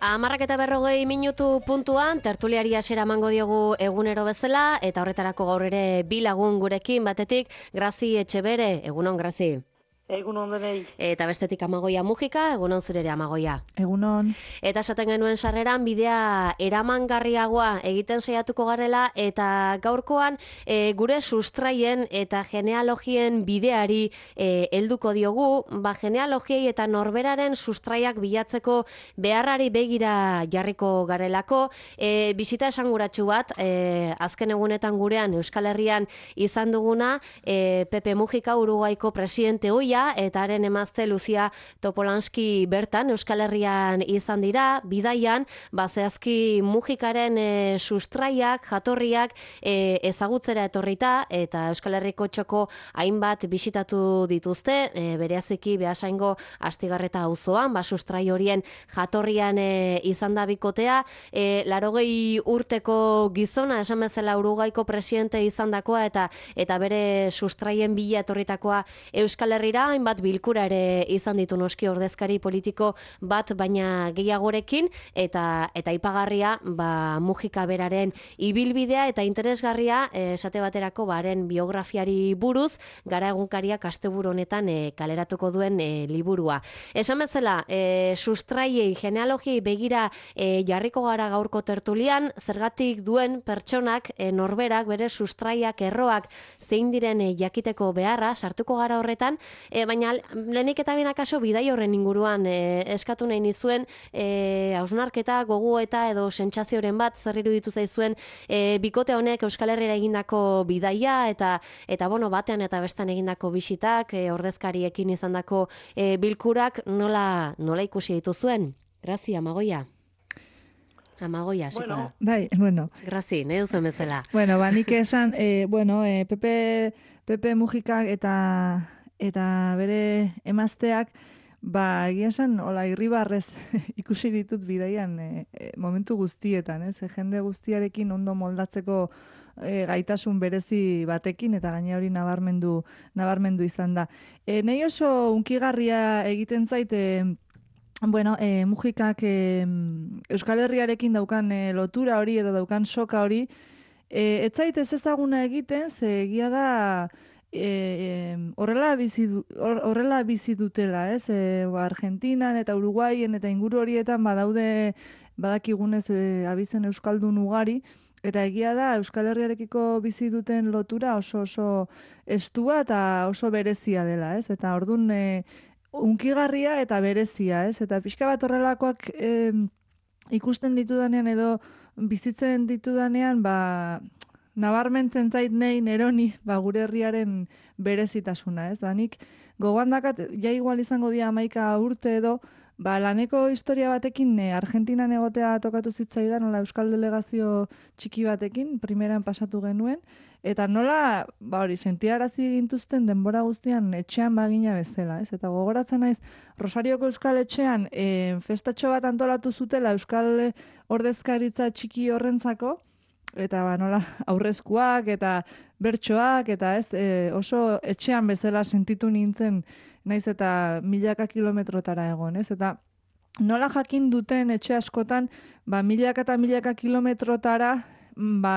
10:40 puntuan, tertuliari hasiera emango diogu egunero bezala, eta horretarako gaur ere bi lagun gurekin, batetik Grazi Etxebere, egunon Grazi. Egunon denei. Eta bestetik Amagoia Mujika, egunon zurere Amagoia. Egunon. Eta esaten genuen sarreran bidea eramangarriagoa egiten saiatuko garela, eta gaurkoan gure sustraien eta genealogien bideari helduko diogu, genealogiei eta norberaren sustraiak bilatzeko beharrari begira jarriko garelako, bisita esanguratsu bat, azken egunetan gurean Euskal Herrian izan duguna, Pepe Mujika Uruguaiko presidente hoia, eta haren emazte Lucia Topolanski bertan Euskal Herrian izan dira, bidaian, zehazki Mujikaren sustraiak, jatorriak ezagutzera etorrita, eta Euskal Herriko txoko hainbat bisitatu dituzte, bereziki Beasaingo Astigarreta auzoan, sustrai horien jatorrian izan da bikotea, 80 urteko gizona, esan bezala Uruguaiko presidente izandakoa, eta bere sustraien bila etorritakoa Euskal Herrira, hainbat bilkura ere izan ditu noski ordezkari politiko bat, baina gehiagorekin, eta aipagarria Mujika beraren ibilbidea eta interesgarria, esate baterako haren biografiari buruz, Gara egunkariak asteburu honetan kaleratuko duen liburua. Esan bezala, sustraiei, genealogiei begira jarriko gara gaurko tertulian, zergatik duen pertsonak, norberak, bere sustraiak, erroak, zein diren jakiteko beharra, sartuko gara horretan, baina lehenik eta bien akaso bidai horren inguruan eskatu nahi nizuen, hausnarketa, gogoeta edo sentsazioren bat, zer iruditu zaizuen bikote honek Euskal Herrira egindako bidaia, eta batean eta bestan egindako bisitak, ordezkariekin izandako bilkurak, nola ikusi dituzuen? Grazi, Amagoia. Amagoia, hasiko da. Bai, bueno. Grazi, nahi duzuen bezala. Bueno, nik esan, Pepe Mujikak eta bere emazteak, egia esan, irribarrez ikusi ditut bidaian momentu guztietan, jende guztiarekin ondo moldatzeko gaitasun berezi batekin, eta gaina hori nabarmendu izan da. Nei oso unkigarria egiten zait, Mujikak Euskal Herriarekin daukan lotura hori edo daukan soka hori, ez zait ez ezaguna egiten, ze egia da horrela bizi dutela, Argentinan eta Uruguaien eta inguru horietan badakigunez abizen euskaldun ugari, eta egia da Euskal Herriarekiko bizi duten lotura oso estua eta oso berezia dela, eta ordun unkigarria eta berezia, eta pixka bat horrelakoak ikusten ditudanean edo bizitzen ditudanean, nabarmentzen zait neroni gure herriaren berezitasuna, nik gogoan dakat, igual izango dira 11 urte edo, laneko historia batekin Argentinan egotea tokatu zitzaidan, nola euskal delegazio txiki batekin, primeran pasatu genuen, eta nola, sentiarazi gintuzten denbora guztian etxean bagina bezala, eta gogoratzen naiz, Rosarioko Euskal Etxean festatxo bat antolatu zutela euskal ordezkaritza txiki horrentzako, eta nola aurrezkuak eta bertsoak, eta oso etxean bezala sentitu nintzen, naiz eta milaka kilometrotara egon, eta nola jakin duten etxe askotan, milaka eta milaka kilometrotara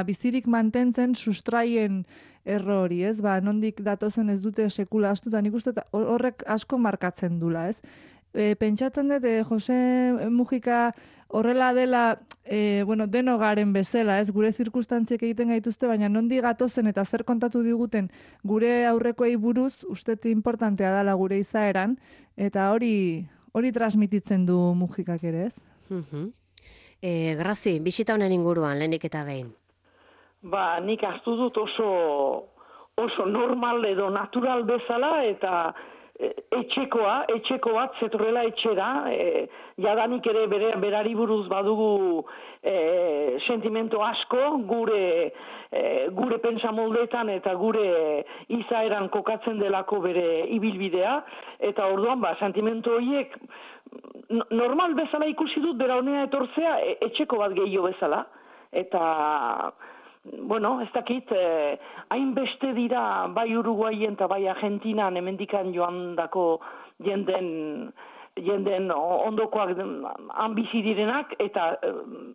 bizirik mantentzen sustraien erro hori, nondik datozen ez dute sekula astu, eta nik uste horrek asko markatzen dula, pentsatzen dut, Jose Mujika horrela dela, deno garen bezala, gure zirkustantziek egiten gaituzte, baina nondi gatozen eta zer kontatu diguten gure aurrekoei buruz, uste importantea dela gure izaeran, eta hori transmititzen du Mujikak ere, Grazi, bisita honen inguruan, lehenik eta behin. Nik hartu dut oso normal edo natural bezala, eta etxeko bat zetorrela etxera, jadanik ere berari buruz badugu sentimento asko, gure pentsamoldeetan eta gure izaeran kokatzen delako bere ibilbidea, eta orduan sentimento horiek normal bezala ikusi dut bera honea etortzea etxeko bat gehiago bezala, eta ez dakit, hainbeste dira bai Uruguaien eta bai Argentinan hemendikan joandako jenden jenden ondokoak han bizi direnak, eta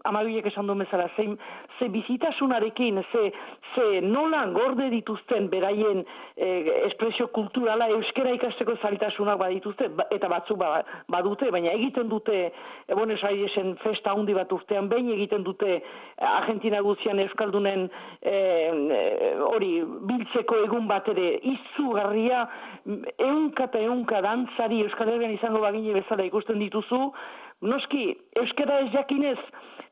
amabiek esan duen bezala, ze bizitasunarekin, ze nolan gorde dituzten beraien espresio kulturala euskera ikasteko zailtasunak badituzte, eta batzuk badute, baina egiten dute Buenos Airesen festa handi bat urtean behin, egiten dute Argentina guztian euskaldunen hori biltzeko egun bat ere izugarria, ehunka eta ehunka dantzari Euskal Herrian izango bagine bezala ikusten dituzu, noski, euskara ez jakinez,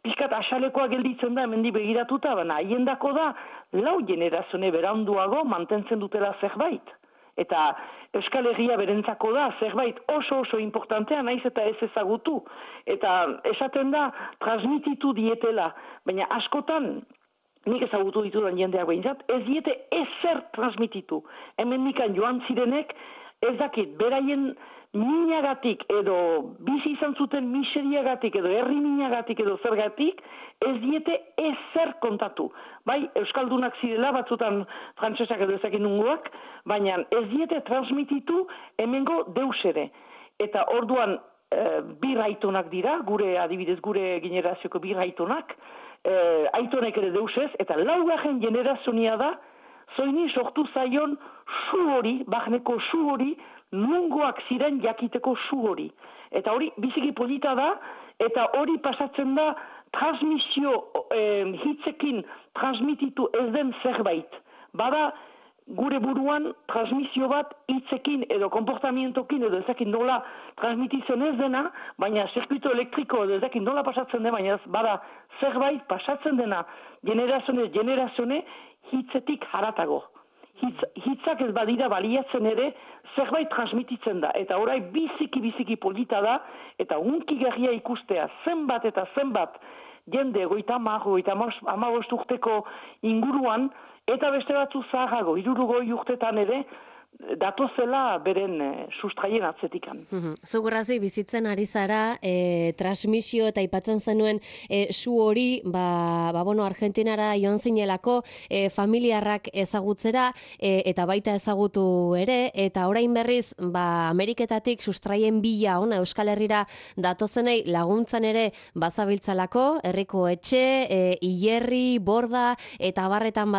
pixkat asalekoa gelditzen da, hemendi begiratuta, baina haiendako da, lau generazione beranduago mantentzen dutela zerbait. Eta Euskal Herria berentzako da, zerbait oso importantea, naiz eta ez ezagutu. Eta esaten da, transmititu dietela, baina askotan, nik ezagutu ditudan jendeak behintzat, ez diete ezer transmititu. Hemen nikan joan zirenek, ez dakit, beraien minagatik edo bizi izan zuten miseriagatik edo herri minagatik edo zergatik, ez diete ezer kontatu. Bai, euskaldunak zirela, batzutan frantsesak edo ezakin nungoak, baina ez diete transmititu hemengo deus ere. Eta orduan bi aitonak dira, adibidez gure generazioko bi aitonak, aitonek ere deus ez, eta laugarren generazionia da, zoini sortu zaion su hori, bahneko su hori, nungoak ziren jakiteko su hori. Eta hori biziki polita da, eta hori pasatzen da transmisio hitzekin transmititu ez den zerbait. Bada gure buruan transmisio bat hitzekin edo komportamientokin edo ezakin nola transmititzen ez dena, baina zirkuito elektriko edo ezakin nola pasatzen dena, baina bada zerbait pasatzen dena generazione hitzetik haratago. Hitzak ez badira baliatzen ere zerbait transmititzen da. Eta orai biziki polita da, eta hunkigarria ikustea zenbat eta zenbat jende 50 urteko inguruan, eta beste batzu zaharrago, 60 urtetan ere, datozela beren sustraien atzetikan. Zugurrazi bizitzen ari zara, transmisio eta aipatzen zenuen su hori, Argentinara joan zinelako, familiarrak ezagutzera, eta baita ezagutu ere, eta orain berriz, Ameriketatik sustraien bila ona Euskal Herrira datozenei laguntzan ere bazabiltzalako, herriko etxe, hilerri, borda, eta barretan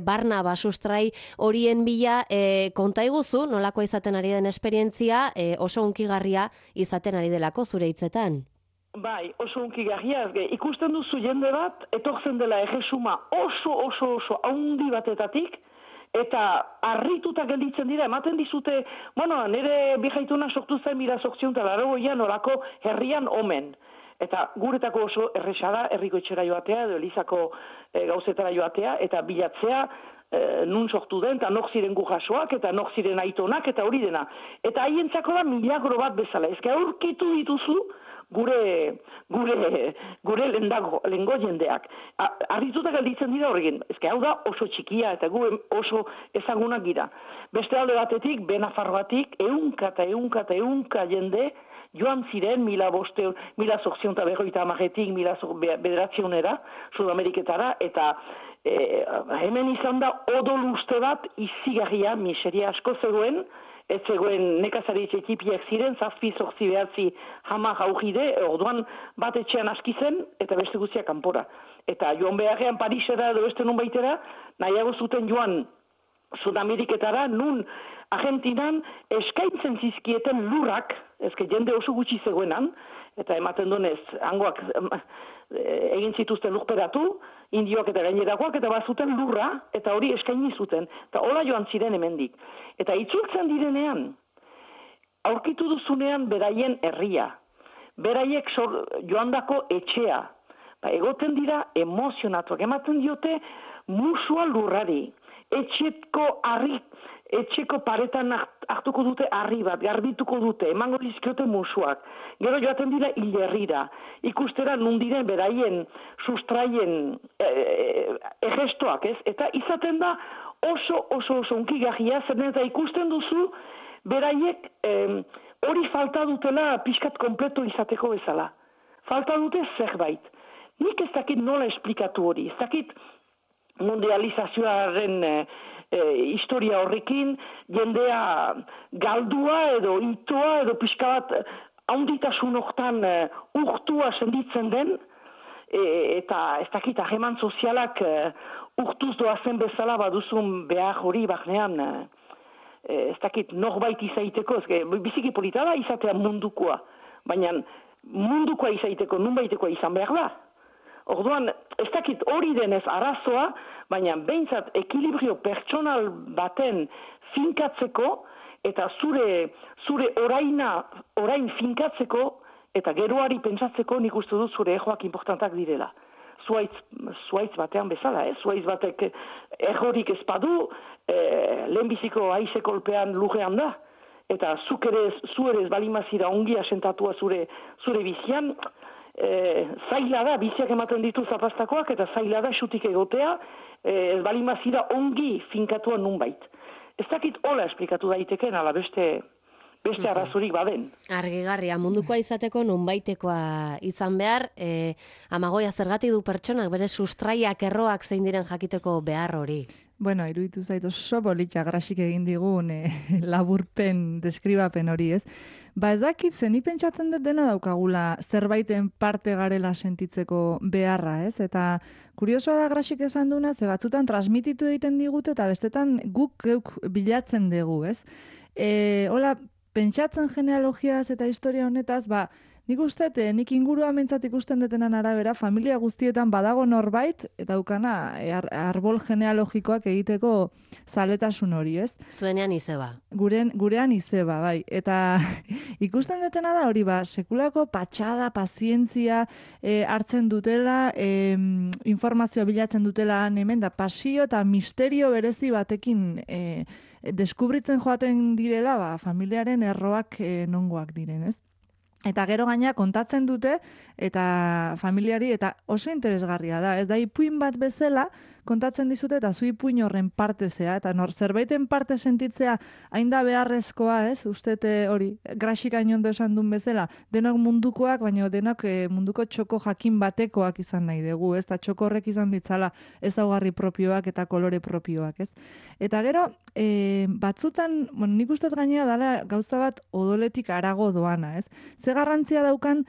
barna sustrai horien bila konta iguzu, nolako izaten ari den esperientzia, oso hunkigarria izaten ari delako zure hitzetan. Bai, oso hunkigarria. Ikusten duzu jende bat, etortzen dela erresuma oso haundi batetatik, eta harrituta gelditzen dira, ematen dizute, nire bihaituna sortu zen 1880an orako herrian omen. Eta guretako oso erresada, herriko etxera joatea, edo elizako gauzetara joatea, eta bilatzea, nun sortu den, eta nok ziren gujasoak, eta nok ziren aitonak, eta hori dena. Eta haientzako da milagro bat bezala. Ezka aurkitu dituzu gure lehengo jendeak. Arritutak alditzen dira horrekin. Ezka hau da oso txikia, eta gu oso ezagunak gira. Beste alde batetik, Benafarroatik, ehunka jende, joan ziren 1850etik 1900era, Sudameriketara, eta hemen izan da odol uste bat izigarria, miseria asko zegoen, ez zegoen nekazari txikipiak ziren, 7-8 hamar aurride, orduan bat etxean aski zen, eta beste guztiak kanpora. Eta joan beharrean Parisera edo beste nun baitera, nahiago zuten joan Sudameriketara, nun Argentinan eskaintzen zizkieten lurrak, ezke jende oso gutxi zegoenan, eta ematen donez, hangoak egin zituzten lurperatu, indioak eta gainerakoak, eta bazuten lurra, eta hori eskaini zuten. Eta hola joan ziren hemendik. Eta itzultzen direnean, aurkitu duzunean beraien herria, beraiek joandako etxea, egoten dira emozionatuak, ematen diote musua lurrari, etxeko paretan hartuko dute harri bat, garbituko dute, emango dizkiote musuak. Gero joaten dira hilerrira, ikustera nundiren beraien sustraien egestoak, ez? Eta izaten da oso hunkigarria, zer eta ikusten duzu beraiek hori falta dutela pixkat kompleto izateko bezala. Falta dute zerbait. Nik ez dakit nola esplikatu hori, ez dakit mundializazioaren historia horrekin, jendea galdua edo itoa edo pixka bat haunditasun hortan urtua senditzen den, eta ez dakit hageman sozialak urtuz doazen bezala baduzun behar hori barnean, ez dakit norbait izaiteko, biziki polita da izatea mundukoa, baina mundukoa izaiteko nunbaitekoa izan behar da. Orduan, ez dakit hori denez arazoa, baina behintzat ekilibrio pertsonal baten finkatzeko, eta zure orain finkatzeko, eta geroari pentsatzeko nik uste dut zure ejoak importantak direla. Zuaitz batean bezala, zuaitz batek ejorik ezpadu, lehenbiziko haize kolpean lurrean da, eta zu ere ez balimazira ongi asentatua zure bizian, zaila da, biziak ematen ditu zapastakoak, eta zaila da xutik egotea, ez balimazira ongi finkatua nunbait. Ez dakit hola esplikatu daiteken, ala beste arazorik baden. Argigarria, mundukoa izateko nonbaitekoa izan behar, Amagoia zergatik du pertsonak bere sustraiak erroak zein diren jakiteko behar hori? Bueno, iruditu zait oso politxa Grasik egin digun laburpen, deskribapen hori, ez? Ba ez dakit, zen pentsatzen dut dena daukagula zerbaiten parte garela sentitzeko beharra, ez? Eta kuriosoa da Grasik esan duna, ze batzutan transmititu egiten digute eta bestetan guk geuk bilatzen dugu, ez? Hola, pentsatzen genealogiaz eta historia honetaz, nik uste, nik ingurua mentzat ikusten detenan arabera, familia guztietan badago norbait, eta ukana arbol genealogikoak egiteko zaletasun hori, ez? Zuenean izeba. Gurean izeba, bai. Eta ikusten detena da hori, sekulako patxada, pazientzia hartzen dutela, informazioa bilatzen dutela hemen, da pasio eta misterio berezi batekin deskubritzen joaten direla, familiaren erroak nongoak diren, ez? Eta gero gaina kontatzen dute, eta familiari, eta oso interesgarria da, ez da ipuin bat bezala, kontatzen dizute, eta zu ipuin horren parte zea, eta zerbaiten parte sentitzea hain da beharrezkoa, ez? Ustete hori, Grasik ondo esan duen bezala, denok mundukoak, baina denok munduko txoko jakin batekoak izan nahi dugu, ez? Eta txoko horrek izan ditzala ezaugarri propioak eta kolore propioak, ez? Eta gero, batzutan, nik uste gainera dala gauza bat odoletik harago doana, ez? Ze garrantzia daukan,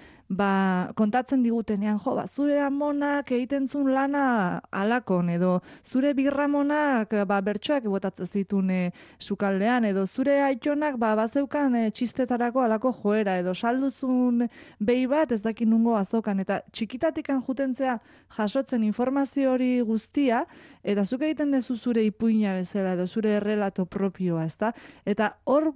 kontatzen digutenean, zure amonak egiten zuen lana alakon, edo zure birramonak bertsoak botatzen zituen sukaldean, edo zure aitonak bazeukan txistetarako alako joera, edo salduzun behi bat ez dakin nungo azokan, eta txikitatikan jutentzea jasotzen informazio hori guztia, eta zuk egiten dezu zure ipuina bezala, edo zure errelato propioa, ezta? Eta hor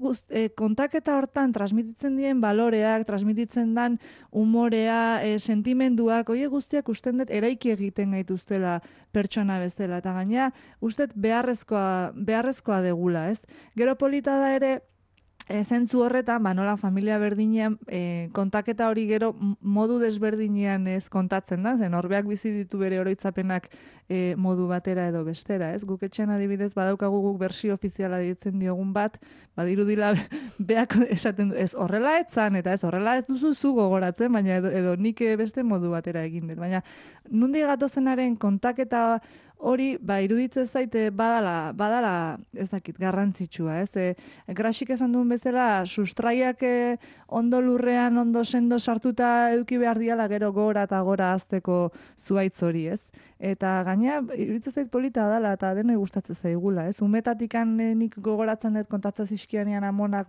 kontaketa hortan transmititzen dien baloreak, transmititzen dan umorea, sentimenduak, hori guztiak usten dut eraiki egiten gaituztela pertsona bezala, eta gaina uste beharrezkoa degula, ez? Gero polita da ere, zentzu horretan, nola familia berdinean, kontaketa hori gero modu desberdinean ez kontatzen da, zen horbeak bizi ditu bere oroitzapenak modu batera edo bestera, ez? Guk etxean adibidez badaukagu guk bersio ofiziala ditzen diogun bat, badirudila beak esaten du, ez horrela etzan, eta ez horrela ez duzu zu gogoratzen, baina edo nik beste modu batera egin dut. Baina nundi gatozenaren kontaketa hori, iruditzen zaite badala ez dakit, garrantzitsua, ez? Grasik esan duen bezala, sustraiak ondo lurrean, ondo sendo sartuta eduki behar diala gero gora eta gora azteko zuaitz hori, ez? Eta gaina, iruditzen zait polita dala, eta denoi gustatzen zaigula, ez? Umetatikan nik gogoratzen dut kontatzen zizkianean amonak,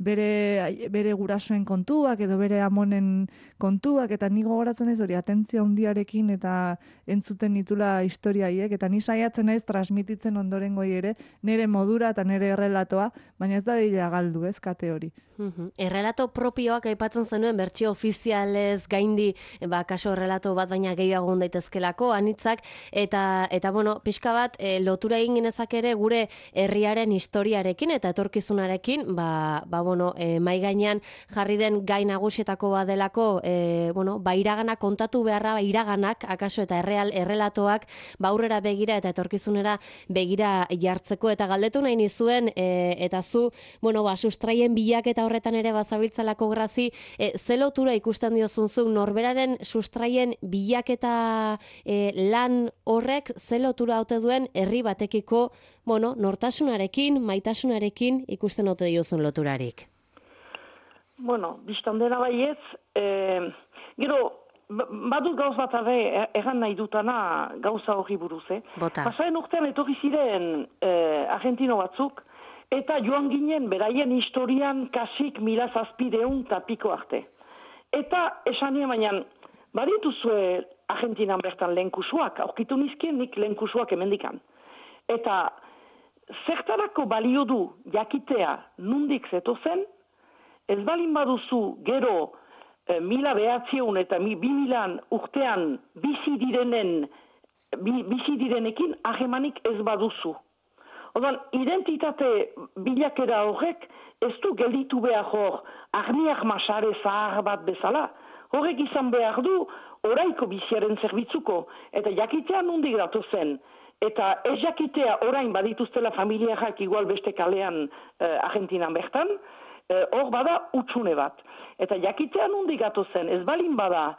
bere gurasoen kontuak edo bere amonen kontuak, eta ni gogoratzen ez hori atentzia handiarekin eta entzuten ditula historiaiek, eta ni saiatzen naiz transmititzen ondorengoi ere nire modura eta nire errelatoa, baina ez da dira galdu, ez, kate hori. Errelato propioak aipatzen zenuen bertsio ofizialez gaindi, kaso errelato bat baina gehiago daitezkelako anitzak, eta bueno, pixka bat lotura egin genezak ere gure herriaren historiarekin eta etorkizunarekin, mai gainean jarri den gai nagusietako badelako, iragana kontatu beharra, iraganak, akaso eta errelatoak, aurrera begira eta etorkizunera begira jartzeko, eta galdetu nahi nizuen, eta zu, sustraien bilaketa horretan ere bazabiltzalako Grazi, ze lotura ikusten diozunzuk norberaren sustraien bilaketa lan horrek ze lotura haute duen herri batekiko, nortasunarekin, maitasunarekin ikusten haute diozun loturarik? Bueno, biztan dena baietz, gero, badut gauz bat egan nahi dutana gauza hori buruz, Bota. Pasaren urtean etorri ziren argentino batzuk, eta joan ginen beraien historian kasik 1700 tapiko arte. Eta esan nien baina, badituzue Argentinan bertan lehenkusuak, aurkitu nizkien nik lehenkusuak hemendikan. Eta zertarako balio du jakitea nundik zetozen, ez balin baduzu gero 1900 eta 2000 urtean bizi direnekin ahemanik ez baduzu. Odan, identitate bilakera horrek ez du gelditu behar hor arniak masare zahar bat bezala. Horrek izan behar du oraiko biziaren zerbitzuko eta jakitea nundik datozen. Eta ez jakitea orain badituztela familiak igual beste kalean Argentinan bertan, hor bada utxune bat. Eta jakitea nundik gatozen, ez balin bada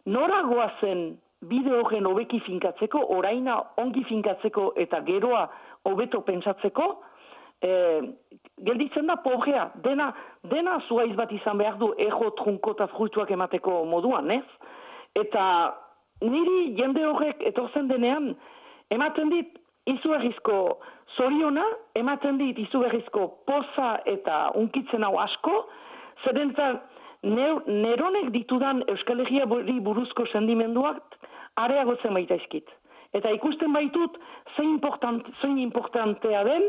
nora goazen bide horren hobeki finkatzeko, oraina ongi finkatzeko eta geroa hobeto pentsatzeko, gelditzen da pobrea. Dena zuaiz bat izan behar du ejo, trunko eta fruituak emateko moduan, ez? Eta niri jende horrek etortzen denean, ematen dit izugarrizko zoriona, ematen dit izugarrizko poza eta unkitzen hau asko, zeren eta neronek ditudan Euskal Herria buruzko sendimenduak areagotzen baitaizkit. Eta ikusten baitut zein importantea den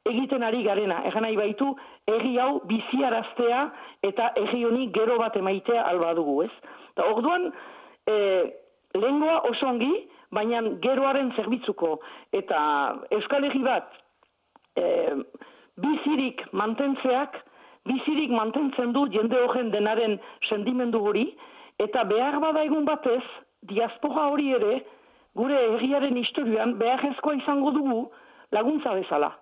egiten ari garena. Egan nahi baitu, herri hau biziaraztea eta herri honi gero bat emaitea alba dugu, ez? Eta orduan, lehengoa oso ongi, baina geroaren zerbitzuko. Eta Euskal Herri bat bizirik mantentzen du jende horren denaren sendimendu hori, eta behar bada egun batez, diaspora hori ere, gure herriaren historian beharrezkoa izango dugu laguntza bezala.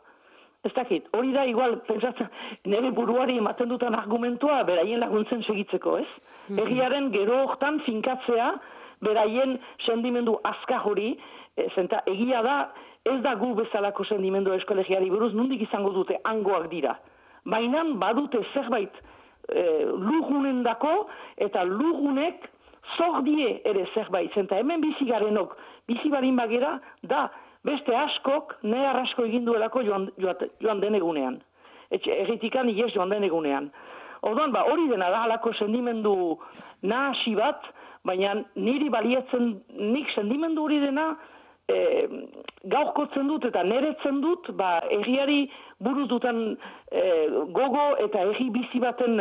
Ez dakit, hori da igual, pentsatzen, nire buruari ematen dutan argumentua beraien laguntzen segitzeko, ez? Herriaren gero hortan finkatzea, beraien sendimendu azkar hori, zenta egia da, ez da gu bezalako sendimendu Euskal Herriari buruz, nondik izango dute hangoak dira. Baina badute zerbait lugunen dako, eta lugunek zordie ere zerbait. Zenta hemen bizigarenok, bizi barin bagera, da beste askok, nehar asko egin duelako joan den egunean. Erritikan ies joan den egunean. Orduan, hori dena da halako sendimendu nahasi bat, baina niri baliatzen nik sendimendu hori dena gaurkotzen dut eta neretzen dut, herriari buruz dutan gogo eta herri bizi baten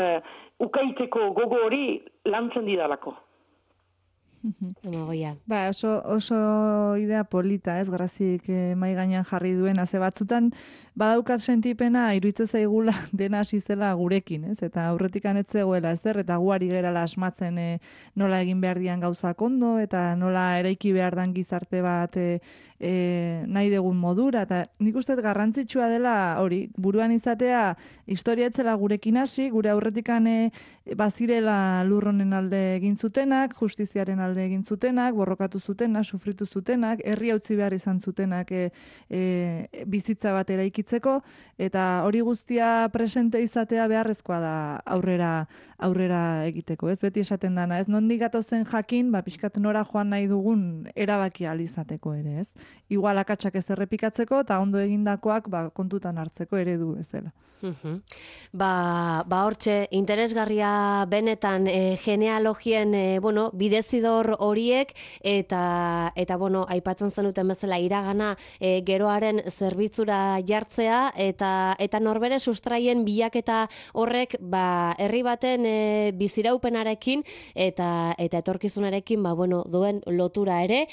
ukaiteko gogo hori lantzen didalako. Oso idea polita, ez, Grazik mai gainean jarri duen, ze batzutan badaukat sentipena iruditzen zaigula dena hasi zela gurekin, ez? Eta aurretikan ez zegoela ezer, eta guari gerala asmatzen nola egin behar dian gauzak ondo, eta nola eraiki behar dan gizarte bat nahi degun modura, eta nik uste garrantzitsua dela hori, buruan izatea historia etzela gurekin hasi, gure aurretikan bazirela lurronen alde egin zutenak, justiziaren alde egin zutenak, borrokatu zutenak, sufritu zutenak, herri utzi behar izan zutenak bizitza bat eraikitzeko, eta hori guztia presente izatea beharrezkoa da aurrera egiteko, ez? Beti esaten dana, ez? Nondik gatozen jakin, pixkat nora joan nahi dugun erabaki ahal izateko ere, ez? Igual akatsak ez errepikatzeko, eta ondo egindakoak kontutan hartzeko eredu bezala. Hortxe, interesgarria benetan genealogien bidezidor horiek eta aipatzen zenuten bezala iragana geroaren zerbitzura jartzea eta norbere sustraien bilaketa horrek herri baten biziraupenarekin eta etorkizunarekin duen lotura ere.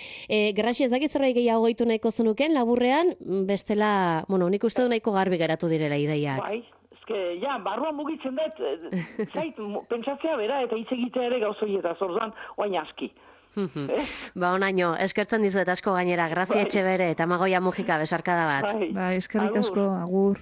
Graxi, ez dakit zerbait gehiago gehitu nahiko zenuken laburrean, bestela, nik uste du nahiko garbi geratu direla ideiak. Barruan mugitzen dut, zait, pentsatzea bera eta hitz egitea ere gauzoietaz, orduan, oain aski. Onaino, eskertzen dizuet asko gainera, Grazia Etxebere eta Amagoia Mujika besarkada bat. Eskerrik asko, agur.